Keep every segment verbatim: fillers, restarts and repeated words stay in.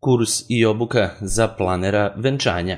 Kurs i obuka za planera venčanja.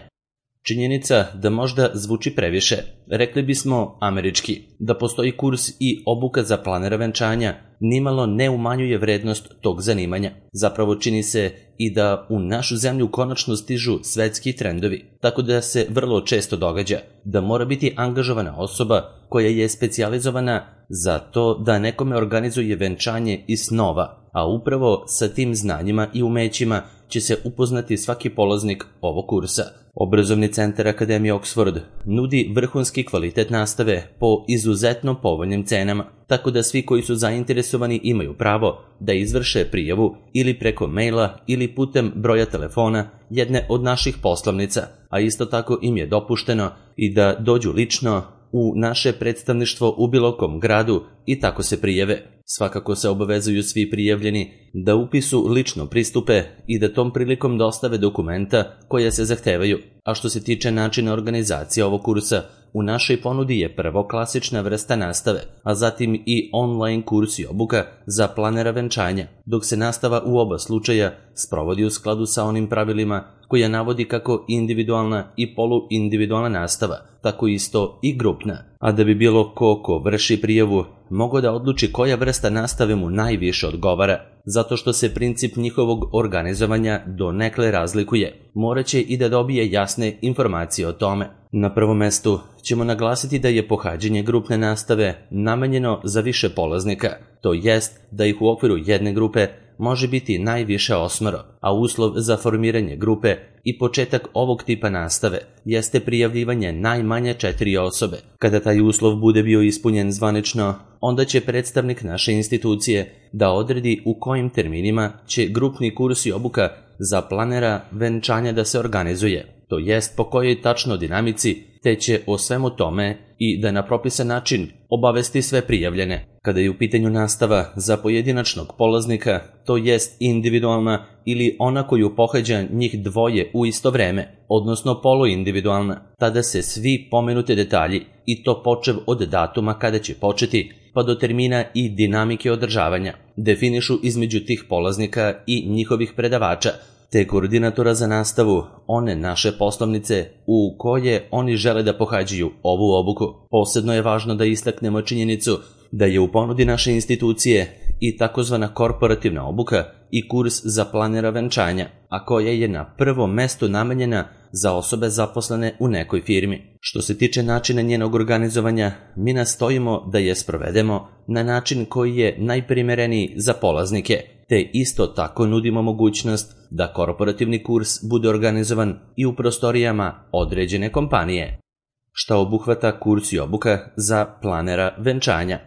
Činjenica da možda zvuči previše, rekli bismo američki, da postoji kurs i obuka za planera venčanja, nimalo ne umanjuje vrednost tog zanimanja. Zapravo čini se i da u našu zemlju konačno stižu svetski trendovi, tako da se vrlo često događa da mora biti angažovana osoba koja je specijalizovana za to da nekome organizuje venčanje iz snova, a upravo sa tim znanjima i umećima će se upoznati svaki polaznik ovog kursa. Obrazovni centar Akademije Oxford nudi vrhunski kvalitet nastave po izuzetno povoljnim cenama, tako da svi koji su zainteresovani imaju pravo da izvrše prijavu ili preko maila ili putem broja telefona jedne od naših poslovnica, a isto tako im je dopušteno i da dođu lično u naše predstavništvo u bilo kom gradu i tako se prijave. Svakako se obavezuju svi prijavljeni da upisu lično pristupe i da tom prilikom dostave dokumenta koja se zahtevaju. A što se tiče načina organizacije ovog kursa, u našoj ponudi je prvo klasična vrsta nastave, a zatim i online kurs i obuka za planera venčanja, dok se nastava u oba slučaja sprovodi u skladu sa onim pravilima koja navodi kako individualna i poluindividualna nastava, tako isto i grupna. A da bi bilo ko ko vrši prijavu mogao da odluči koja vrsta nastave mu najviše odgovara, zato što se princip njihovog organizovanja donekle razlikuje, moraće i da dobije jasne informacije o tome. Na prvom mestu ćemo naglasiti da je pohađanje grupne nastave namenjeno za više polaznika, to jest da ih u okviru jedne grupe može biti najviše osmoro, a uslov za formiranje grupe i početak ovog tipa nastave jeste prijavljivanje najmanje četiri osobe. Kada taj uslov bude bio ispunjen zvanično, onda će predstavnik naše institucije da odredi u kojim terminima će grupni kurs i obuka za planera venčanja da se organizuje, to jest po kojoj tačno dinamici, te će o svemu tome i da na propisan način obavesti sve prijavljene. Kada je u pitanju nastava za pojedinačnog polaznika, to jest individualna ili ona koju pohađa njih dvoje u isto vreme, odnosno poluindividualna, tada se svi pomenute detalji, i to počev od datuma kada će početi, pa do termina i dinamike održavanja, definišu između tih polaznika i njihovih predavača, te koordinatora za nastavu, one naše poslovnice u koje oni žele da pohađaju ovu obuku. Posebno je važno da istaknemo činjenicu da je u ponudi naše institucije i takozvana korporativna obuka i kurs za planera venčanja, a koja je na prvom mestu namenjena za osobe zaposlene u nekoj firmi. Što se tiče načina njenog organizovanja, mi nastojimo da je sprovedemo na način koji je najprimereniji za polaznike, te isto tako nudimo mogućnost da korporativni kurs bude organizovan i u prostorijama određene kompanije. Šta obuhvata kurs i obuka za planera venčanja?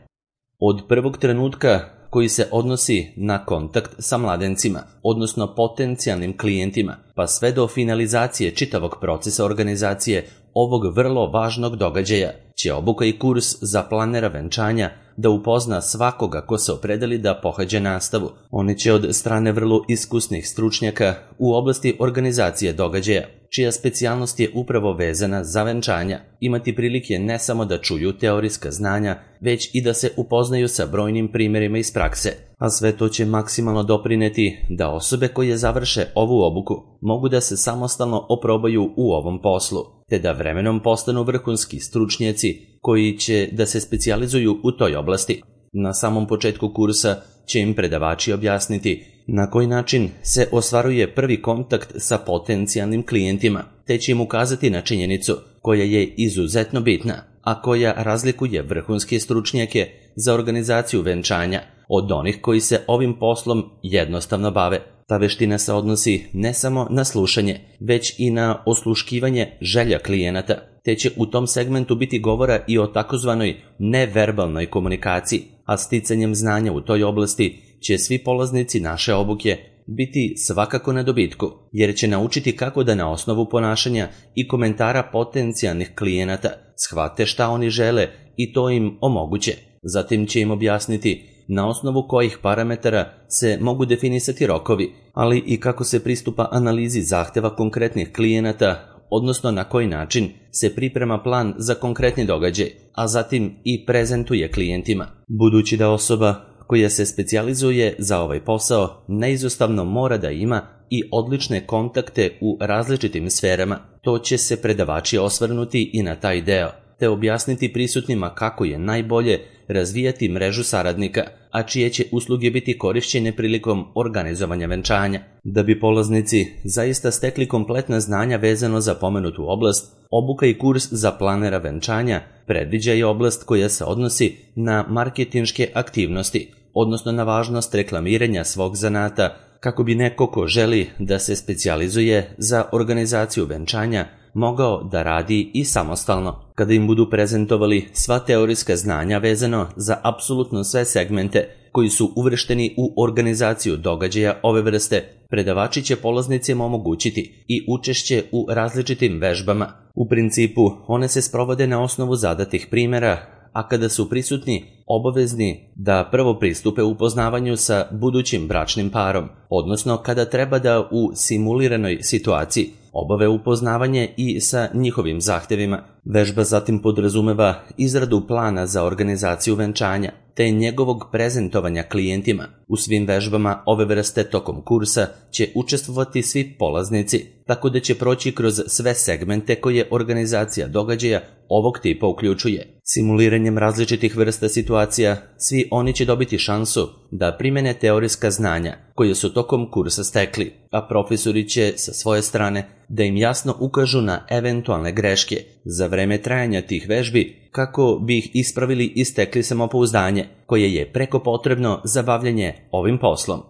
Od prvog trenutka koji se odnosi na kontakt sa mladencima, odnosno potencijalnim klijentima, pa sve do finalizacije čitavog procesa organizacije ovog vrlo važnog događaja, će obuka i kurs za planera venčanja da upozna svakoga ko se opredeli da pohađa nastavu. Oni će od strane vrlo iskusnih stručnjaka u oblasti organizacije događaja, čija specijalnost je upravo vezana za venčanja, imati prilike ne samo da čuju teorijska znanja, već i da se upoznaju sa brojnim primjerima iz prakse, a sve to će maksimalno doprineti da osobe koje završe ovu obuku mogu da se samostalno oprobaju u ovom poslu, te da vremenom postanu vrhunski stručnjaci koji će da se specijalizuju u toj oblasti. Na samom početku kursa će im predavači objasniti na koji način se ostvaruje prvi kontakt sa potencijalnim klijentima, te će im ukazati na činjenicu koja je izuzetno bitna, a koja razlikuje vrhunske stručnjake za organizaciju venčanja od onih koji se ovim poslom jednostavno bave. Ta veština se odnosi ne samo na slušanje, već i na osluškivanje želja klijenata, te će u tom segmentu biti govora i o takozvanoj neverbalnoj komunikaciji, a sticanjem znanja u toj oblasti će svi polaznici naše obuke biti svakako na dobitku, jer će naučiti kako da na osnovu ponašanja i komentara potencijalnih klijenata shvate šta oni žele i to im omoguće. Zatim će im objasniti na osnovu kojih parametara se mogu definisati rokovi, ali i kako se pristupa analizi zahteva konkretnih klijenata, odnosno na koji način se priprema plan za konkretni događaj, a zatim i prezentuje klijentima. Budući da osoba koja se specijalizuje za ovaj posao neizostavno mora da ima i odlične kontakte u različitim sferama. To će se predavači osvrnuti i na taj deo, te objasniti prisutnima kako je najbolje razvijati mrežu saradnika, a čije će usluge biti korišćene prilikom organizovanja venčanja. Da bi polaznici zaista stekli kompletna znanja vezano za pomenutu oblast, obuka i kurs za planera venčanja predviđa i oblast koja se odnosi na marketinške aktivnosti, odnosno na važnost reklamiranja svog zanata, kako bi neko ko želi da se specijalizuje za organizaciju venčanja mogao da radi i samostalno. Kada im budu prezentovali sva teorijska znanja vezano za apsolutno sve segmente koji su uvršteni u organizaciju događaja ove vrste, predavači će polaznicima omogućiti i učešće u različitim vežbama. U principu, one se sprovode na osnovu zadatih primjera, a kada su prisutni, obavezni da prvo pristupe upoznavanju sa budućim bračnim parom, odnosno kada treba da u simuliranoj situaciji obave upoznavanje i sa njihovim zahtevima. Vežba zatim podrazumeva izradu plana za organizaciju venčanja, te njegovog prezentovanja klijentima. U svim vežbama ove vrste tokom kursa će učestvovati svi polaznici, tako da će proći kroz sve segmente koje organizacija događaja ovog tipa uključuje. Simuliranjem različitih vrsta situacija, svi oni će dobiti šansu da primene teorijska znanja koje su tokom kursa stekli, a profesori će sa svoje strane da im jasno ukažu na eventualne greške za vreme trajanja tih vežbi, kako bi ih ispravili i stekli samopouzdanje koje je preko potrebno za bavljanje ovim poslom.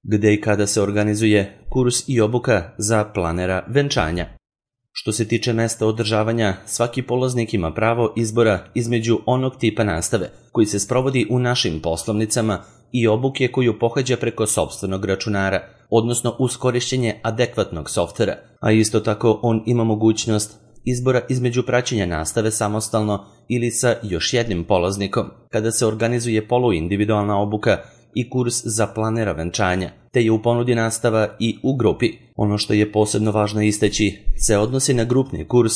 Gde i kada se organizuje kurs i obuka za planera venčanja? Što se tiče mesta održavanja, svaki polaznik ima pravo izbora između onog tipa nastave koji se sprovodi u našim poslovnicama i obuke koju pohađa preko sopstvenog računara, odnosno uz korišćenje adekvatnog softvera, a isto tako on ima mogućnost izbora između praćenja nastave samostalno ili sa još jednim polaznikom, kada se organizuje poluindividualna obuka i kurs za planera venčanja, te je u ponudi nastava i u grupi. Ono što je posebno važno istaći se odnosi na grupni kurs,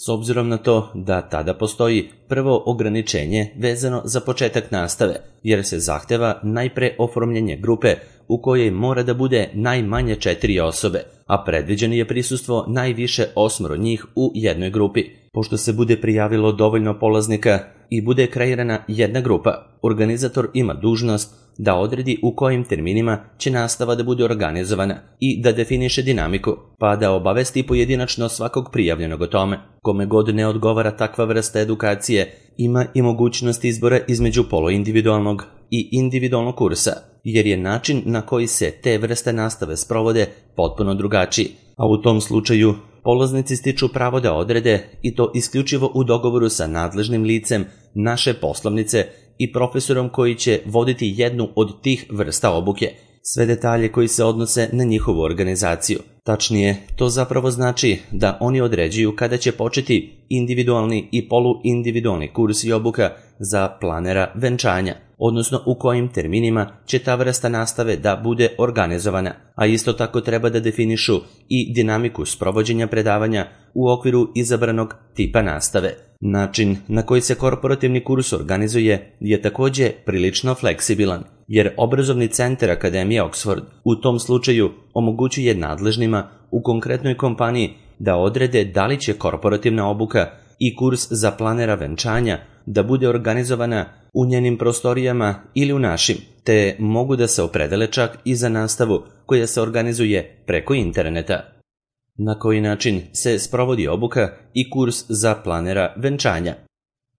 s obzirom na to da tada postoji prvo ograničenje vezano za početak nastave, jer se zahteva najpre oformljenje grupe u kojoj mora da bude najmanje četiri osobe, a predviđeno je prisustvo najviše osmoro njih u jednoj grupi. Pošto se bude prijavilo dovoljno polaznika i bude kreirana jedna grupa, organizator ima dužnost da odredi u kojim terminima će nastava da bude organizovana i da definiše dinamiku, pa da obavesti pojedinačno svakog prijavljenog o tome. Kome god ne odgovara takva vrsta edukacije, ima i mogućnost izbora između poluindividualnog i individualnog kursa, jer je način na koji se te vrste nastave sprovode potpuno drugačiji, a u tom slučaju polaznici stiču pravo da odrede, i to isključivo u dogovoru sa nadležnim licem naše poslovnice i profesorom koji će voditi jednu od tih vrsta obuke, sve detalje koji se odnose na njihovu organizaciju. Tačnije, to zapravo znači da oni određuju kada će početi individualni i poluindividualni kurs i obuka za planera venčanja, odnosno u kojim terminima će ta vrsta nastave da bude organizovana, a isto tako treba da definišu i dinamiku sprovođenja predavanja u okviru izabranog tipa nastave. Način na koji se korporativni kurs organizuje je takođe prilično fleksibilan, jer obrazovni centar Akademije Oxford u tom slučaju omogućuje nadležnima u konkretnoj kompaniji da odrede da li će korporativna obuka i kurs za planera venčanja da bude organizovana u njenim prostorijama ili u našim, te mogu da se opredele čak i za nastavu koja se organizuje preko interneta. Na koji način se sprovodi obuka i kurs za planera venčanja?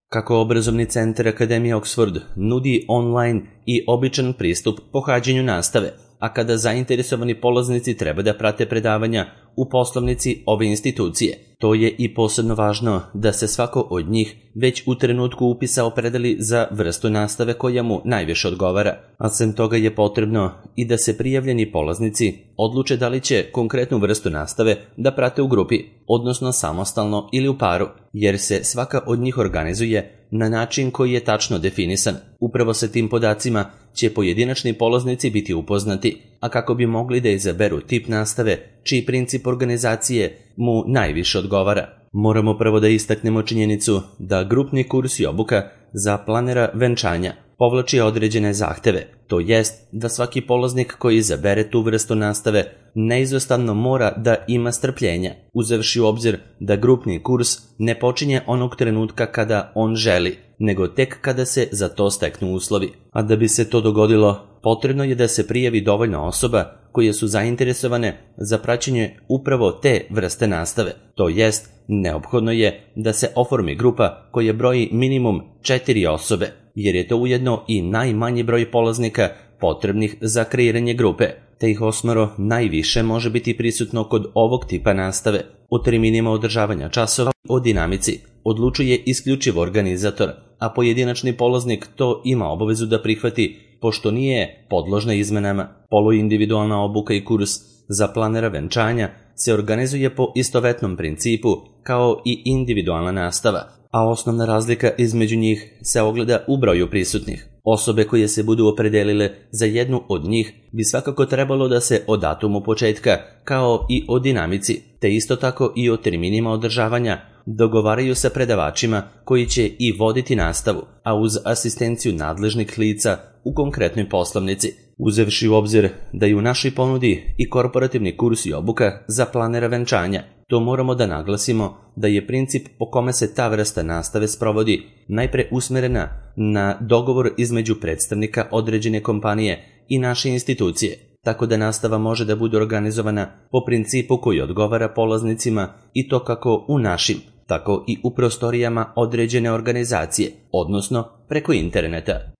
Kako obrazovni centar Akademije Oxford nudi online i običan pristup pohađanju nastave, a kada zainteresovani polaznici treba da prate predavanja u poslovnici ove institucije, to je i posebno važno da se svako od njih već u trenutku upisa opredeli za vrstu nastave koja mu najviše odgovara, a sem toga je potrebno i da se prijavljeni polaznici odluče da li će konkretnu vrstu nastave da prate u grupi, odnosno samostalno ili u paru, jer se svaka od njih organizuje na način koji je tačno definisan. Upravo sa tim podacima će pojedinačni polaznici biti upoznati, a kako bi mogli da izaberu tip nastave čiji princip organizacije mu najviše odgovara. Moramo prvo da istaknemo činjenicu da grupni kurs i obuka za planera venčanja povlači određene zahteve, to jest da svaki polaznik koji izabere tu vrstu nastave neizostavno mora da ima strpljenja, uzevši u obzir da grupni kurs ne počinje onog trenutka kada on želi, nego tek kada se za to steknu uslovi. A da bi se to dogodilo, potrebno je da se prijavi dovoljno osoba koje su zainteresovane za praćenje upravo te vrste nastave, to jest neophodno je da se oformi grupa koja broji minimum četiri osobe, jer je to ujedno i najmanji broj polaznika potrebnih za kreiranje grupe, te ih osmoro najviše može biti prisutno kod ovog tipa nastave. O terminima održavanja časova, o dinamici, odlučuje isključivo organizator, a pojedinačni polaznik to ima obavezu da prihvati, pošto nije podložna izmenama. Poluindividualna obuka i kurs za planera venčanja se organizuje po istovetnom principu kao i individualna nastava, a osnovna razlika između njih se ogleda u broju prisutnih. Osobe koje se budu opredelile za jednu od njih bi svakako trebalo da se o datumu početka, kao i o dinamici, te isto tako i o terminima održavanja, dogovaraju sa predavačima koji će i voditi nastavu, a uz asistenciju nadležnih lica u konkretnoj poslovnici. Uzevši u obzir da je u našoj ponudi i korporativni kurs i obuka za planera venčanja, to moramo da naglasimo da je princip po kome se ta vrsta nastave sprovodi najpre usmerena na dogovor između predstavnika određene kompanije i naše institucije, tako da nastava može da bude organizovana po principu koji odgovara polaznicima i to kako u našim, tako i u prostorijama određene organizacije, odnosno preko interneta.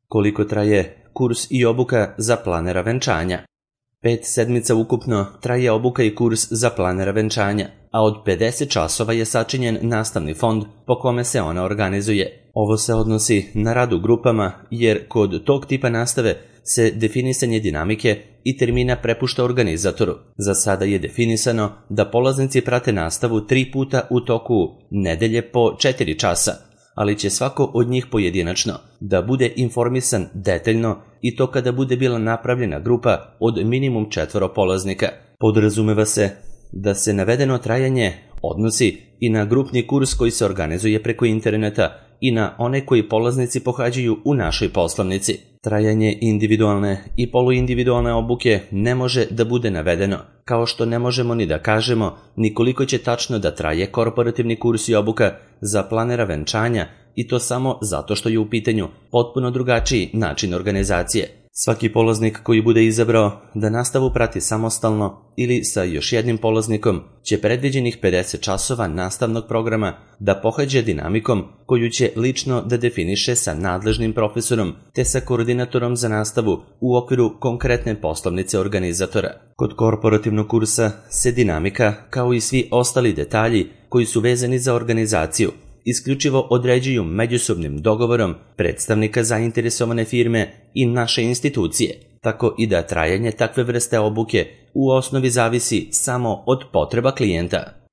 Koliko traje kurs i obuka za planera venčanja? Pet sedmica ukupno traje obuka i kurs za planera venčanja, a od pedeset časova je sačinjen nastavni fond po kome se ona organizuje. Ovo se odnosi na rad u grupama, jer kod tog tipa nastave se definisanje dinamike i termina prepušta organizatoru. Za sada je definisano da polaznici prate nastavu tri puta u toku nedelje po četiri časa, ali će svako od njih pojedinačno da bude informisan detaljno i to kada bude bila napravljena grupa od minimum četvoro polaznika. Podrazumeva se da se navedeno trajanje odnosi i na grupni kurs koji se organizuje preko interneta i na one koji polaznici pohađaju u našoj poslovnici. Trajanje individualne i poluindividualne obuke ne može da bude navedeno, kao što ne možemo ni da kažemo ni koliko će tačno da traje korporativni kurs i obuka za planera venčanja, i to samo zato što je u pitanju potpuno drugačiji način organizacije. Svaki polaznik koji bude izabrao da nastavu prati samostalno ili sa još jednim polaznikom će predviđenih pedeset časova nastavnog programa da pohađa dinamikom koju će lično da definiše sa nadležnim profesorom te sa koordinatorom za nastavu u okviru konkretne poslovnice organizatora. Kod korporativnog kursa se dinamika, kao i svi ostali detalji koji su vezani za organizaciju, isključivo određuju međusobnim dogovorom predstavnika zainteresovane firme i naše institucije, tako i da trajanje takve vrste obuke u osnovi zavisi samo od potreba klijenta.